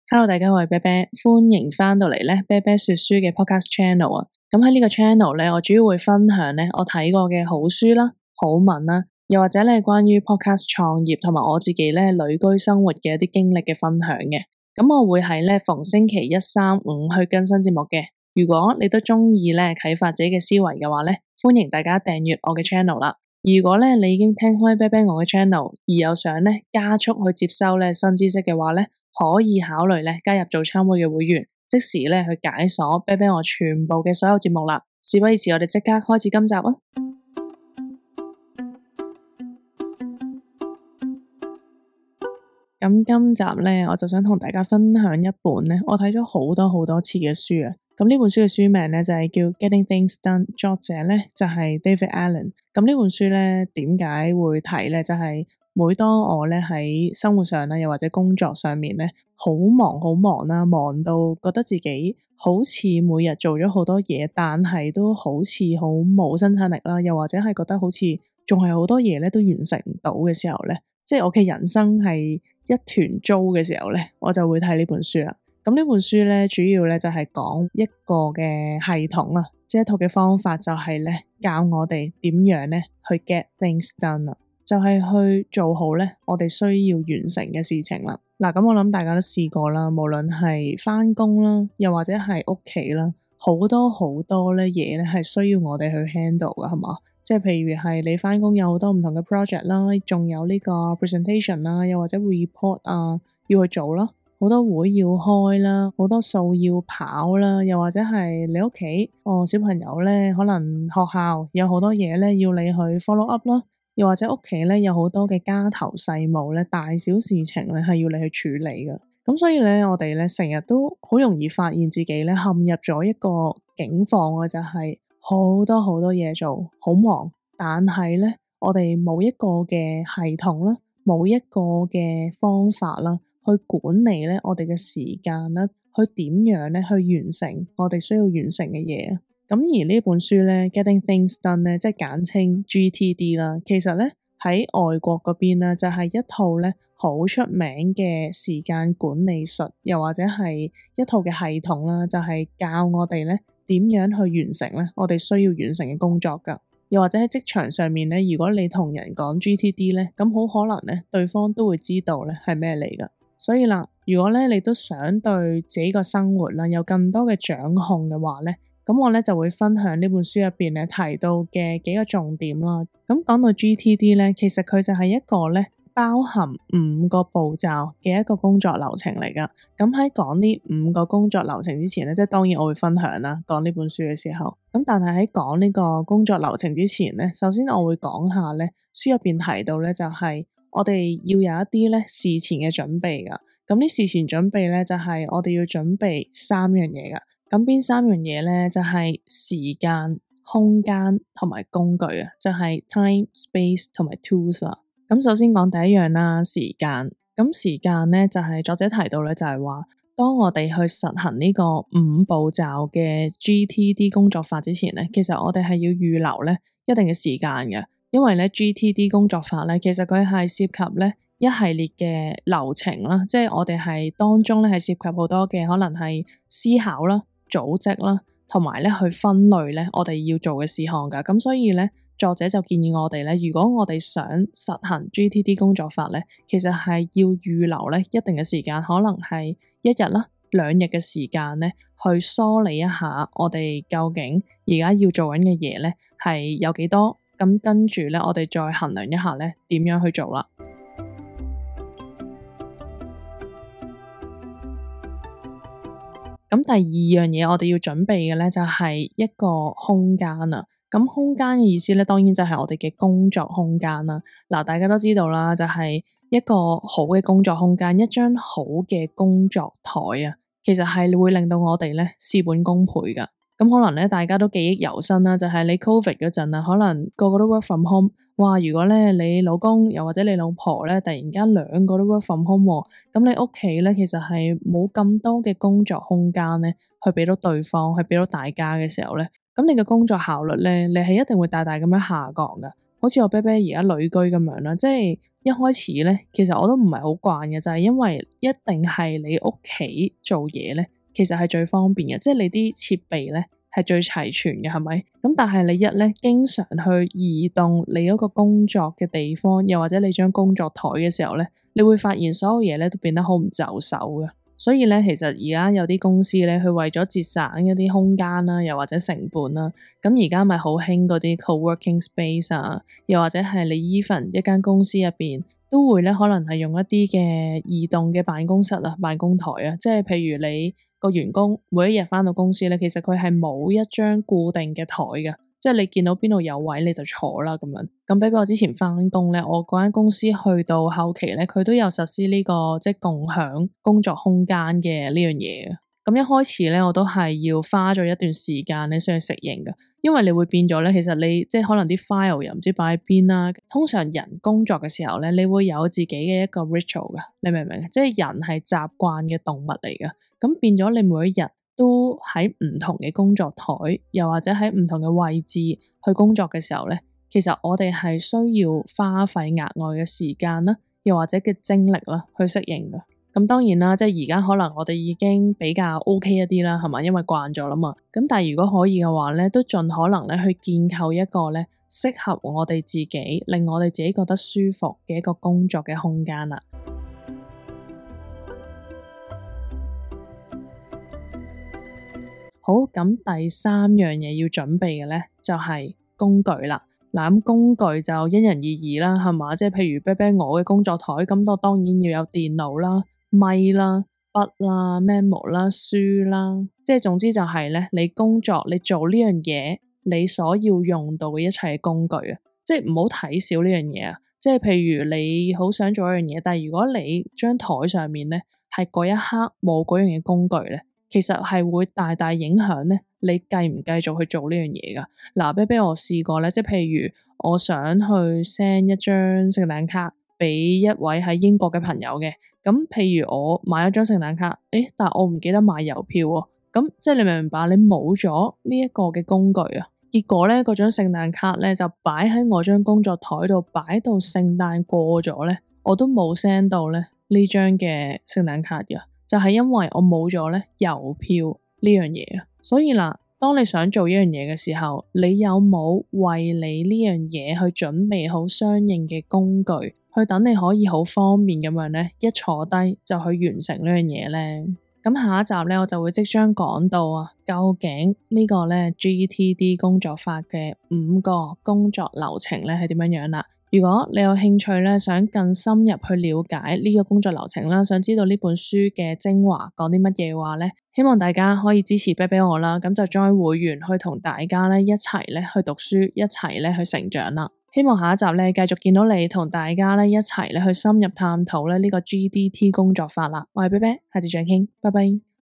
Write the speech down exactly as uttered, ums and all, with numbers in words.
Hello，大家好，我係啤啤，歡迎翻到嚟咧啤啤說書嘅 podcast channel 啊。咁喺呢個 channel 咧，我主要會分享咧我睇過嘅好書啦、好文啦，又或者咧關於 podcast 創業同埋我自己咧旅居生活嘅一啲經歷嘅分享嘅。咁我會喺咧逢星期一、三、五去更新節目嘅。如果你都中意咧啟發自己嘅思維嘅話咧，歡迎大家訂閱我嘅 channel 啦。如果咧你已經聽開啤啤我嘅 channel，而有想咧加速去接收咧新知識嘅話咧，可以考慮咧加入早餐會嘅會員，即時咧去解鎖啤啤我全部嘅所有節目啦。事不宜遲，我哋即刻開始今集啊！咁今集咧，我就想同大家分享一本咧，我睇咗好多好多次嘅書啊。咁呢本書嘅書名咧就係叫 Getting Things Done，作者咧就係 David Allen。咁呢本書咧點解會睇咧？就係每當我咧喺生活上啦，又或者工作上面咧，好忙好忙啦，忙到覺得自己好似每日做咗好多嘢，但係都好似好冇生產力啦，又或者係覺得好似仲係好多嘢咧都完成唔到嘅時候咧，即係我嘅人生係一團糟嘅時候咧，我就會睇呢本書啦。咁呢本書咧，主要咧就係講一個嘅系統啊，即係一套嘅方法，就係咧教我哋點樣咧去 get things done 啊，就係去做好咧我哋需要完成嘅事情啦。嗱，咁我諗大家都試過啦，無論係返工啦，又或者係屋企啦，好多好多咧嘢咧係需要我哋去 handle 噶，係嘛？即係譬如係你返工有好多唔同嘅 project 啦，仲有呢個 presentation 啦，又或者 report 啊要去做啦。好多會要開啦，好多數要跑啦，又或者係你屋企哦小朋友咧，可能學校有好多嘢咧要你去 follow up 啦，又或者屋企咧有好多嘅家頭細務咧，大小事情咧係要你去處理嘅。咁所以咧，我哋咧成日都好容易發現自己咧陷入咗一個境況嘅，就係好多好多嘢做，好忙，但係咧我哋冇一個嘅系統啦，冇一個嘅方法啦。去管理咧我哋嘅時間啦，去點樣咧去完成我哋需要完成嘅嘢。咁而呢本書咧 Getting Things Done 咧，即係簡稱 G T D 啦。其實咧喺外國嗰邊咧就係一套咧好出名嘅時間管理術，又或者係一套嘅系統啦，就係教我哋咧點樣去完成咧我哋需要完成嘅工作噶。又或者喺職場上面咧，如果你同人講 G T D 咧，咁好可能咧對方都會知道咧係咩嚟噶。所以啦，如果咧你都想對自己個生活啦有更多嘅掌控嘅話咧，咁我咧就會分享呢本書入邊咧提到嘅幾個重點啦。咁講到 G T D 咧，其實佢就係一個咧包含五個步驟嘅一個工作流程嚟噶。咁喺講呢五個工作流程之前咧，即係當然我會分享啦，講呢本書嘅時候。咁但係喺講呢個工作流程之前咧，首先我會講下咧書入邊提到咧就係、是。我哋要有一啲咧事前嘅準備噶，咁啲事前準備咧就係我哋要準備三樣嘢噶，咁邊三樣嘢咧就係時間、空間同埋工具啊，就係 time、space 同埋 tools 啦。咁首先講第一樣啦，時間。咁時間咧就係作者提到咧就係話，當我哋去實行呢個五步驟嘅 G T D 工作法之前咧，其實我哋係要預留咧一定嘅時間嘅。因為咧 G T D 工作法咧，其實佢係涉及咧一系列嘅流程啦，即係我哋係當中咧係涉及好多嘅可能係思考啦、組織啦，同埋咧去分類咧我哋要做嘅事項噶。咁所以咧作者就建議我哋咧，如果我哋想實行 G T D 工作法咧，其實係要預留咧一定嘅時間，可能係一日啦、兩日嘅時間咧，去梳理一下我哋究竟而家要做緊嘅嘢咧係有幾多。咁跟住咧，我哋再衡量一下咧，點樣去做啦。咁第二樣嘢，我哋要準備嘅咧，就係一個空間啊。咁空間嘅意思咧，當然就係我哋嘅工作空間啦。嗱，大家都知道啦，就係一個好嘅工作空間，一張好嘅工作台啊，其實係會令到我哋咧事半功倍噶。咁可能咧，大家都記憶猶新啦，就係、是、你 Covid 嗰陣啊，可能個個都 work from home。哇！如果咧你老公又或者你老婆咧，突然間兩個都 work from home，咁你屋企咧其實係冇咁多嘅工作空間咧，去俾到對方，去俾到大家嘅時候咧，咁你嘅工作效率咧，你係一定會大大咁樣下降噶。好似我啤啤而家旅居咁樣啦，即係一開始咧，其實我都唔係好慣嘅，就係因為一定係你屋企做嘢咧，其實係最方便嘅，即係你啲設備咧係最齊全嘅，係咪？咁但係你一咧經常去移動你嗰個工作嘅地方，又或者你張工作台嘅時候咧，你會發現所有嘢咧都變得好唔就手嘅。所以咧，其實而家有啲公司咧，佢為咗節省一啲空間啦，又或者成本啦，咁而家咪好興嗰啲 co-working space 啊，又或者係你 even 一間公司入邊都會咧，可能係用一啲嘅移動嘅辦公室啊、辦公台啊，即係譬如你個員工每一日返到公司咧，其實佢係冇一張固定嘅台嘅。即係你見到邊度有位你就坐啦咁樣。咁比比我之前返工咧，我嗰間公司去到後期咧，佢都有實施呢個即係共享工作空間嘅呢樣嘢。咁一開始咧，我都係要花咗一段時間咧先去適應㗎，因為你會變咗咧，其實你即係可能啲 file 又唔知擺喺邊啦。通常人工作嘅時候咧，你會有自己嘅一個 ritual 㗎，你明唔明？即係人係習慣嘅動物嚟㗎，咁變咗你每一日都喺唔同嘅工作台，又或者喺唔同嘅位置去工作嘅時候咧，其實我哋係需要花費額外嘅時間啦，又或者嘅精力啦，去適應㗎。咁當然啦，即係而家可能我哋已經比較 OK 一啲啦，係嘛？因為慣咗啦嘛。咁但係如果可以嘅話咧，都盡可能咧去建構一個咧適合我哋自己，令我哋自己覺得舒服嘅一個工作嘅空間啦。好，咁第三樣嘢要準備嘅咧，就係工具啦。嗱，咁工具就因人而異啦，係嘛？即係譬如啤啤我嘅工作台，咁我當然要有電腦啦、咪啦、筆啦、memo 啦、書啦，即係總之就係咧，你工作你做呢樣嘢，你所要用到嘅一切工具啊，即係唔好睇少呢樣嘢啊。即係譬如你好想做一樣嘢，但係如果你張台上面咧係嗰一刻冇嗰樣嘢工具咧，其實係會大大影響咧，你繼唔繼續去做呢樣嘢噶？嗱，啤啤我試過咧，即係譬如我想去 send 一張聖誕卡俾一位喺英國嘅朋友嘅，咁譬如我買咗張聖誕卡，誒，但係我唔記得買郵票喎，咁即係你明唔明白？你冇咗呢一個嘅工具啊，結果咧嗰張聖誕卡咧就擺喺我張工作台度，擺到聖誕過咗咧，我都冇 send 到咧呢張嘅聖誕卡嘅。就係因為我冇咗咧郵票呢樣嘢啊，所以嗱，當你想做一樣嘢嘅時候，你有冇為你呢樣嘢去準備好相應嘅工具，去等你可以好方便咁樣咧，一坐低就去完成呢樣嘢咧？咁下一集咧，我就會即將講到啊，究竟呢個咧 G T D 工作法嘅五個工作流程咧係點樣樣啦。如果你有興趣咧，想更深入去了解呢個工作流程啦，想知道呢本書嘅精華講啲乜嘢嘅話咧，希望大家可以支持啤啤我啦，咁就 join 會員去同大家咧一齊咧去讀書，一齊咧去成長啦。希望下一集咧繼續見到你同大家咧一齊咧去深入探討咧呢個 G D T 工作法啦。我係啤啤，下次再傾，拜拜。